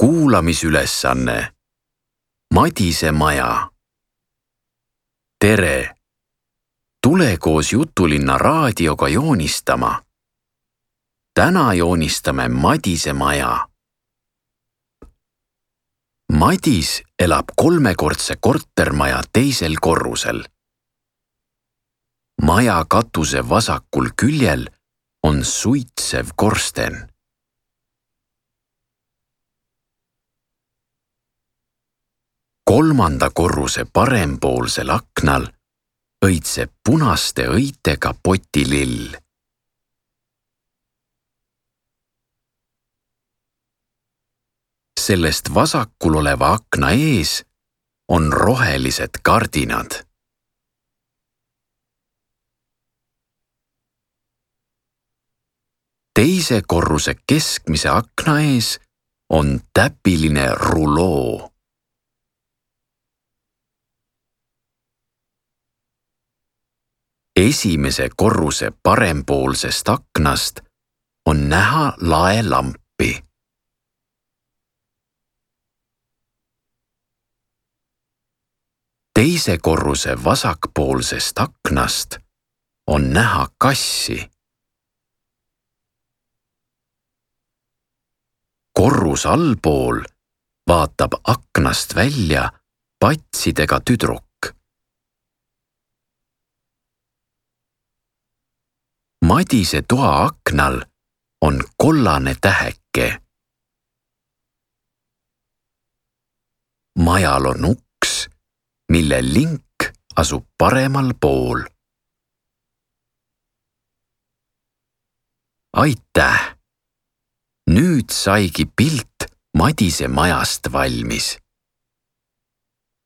Kuulamisülesanne. Madise maja. Tere! Tule koos Jutulinna raadioga joonistama. Täna joonistame Madise maja. Madis elab 3-kordse kortermaja teisel korrusel. Maja katuse vasakul küljel on suitsev korsten. Kolmanda korruse parempoolsel aknal õitseb punaste õitega potilill. Sellest vasakul oleva akna ees on rohelised kardinad. Teise korruse keskmise akna ees on täpiline ruloo. Esimese korruse parempoolsest aknast on näha laelampi. Teise korruse vasakpoolsest aknast on näha kassi. Korrus allpool vaatab aknast välja patsidega tüdruk. Madise toa aknal on kollane täheke. Majal on uks, mille link asub paremal pool. Aitäh! Nüüd saigi pilt Madise majast valmis.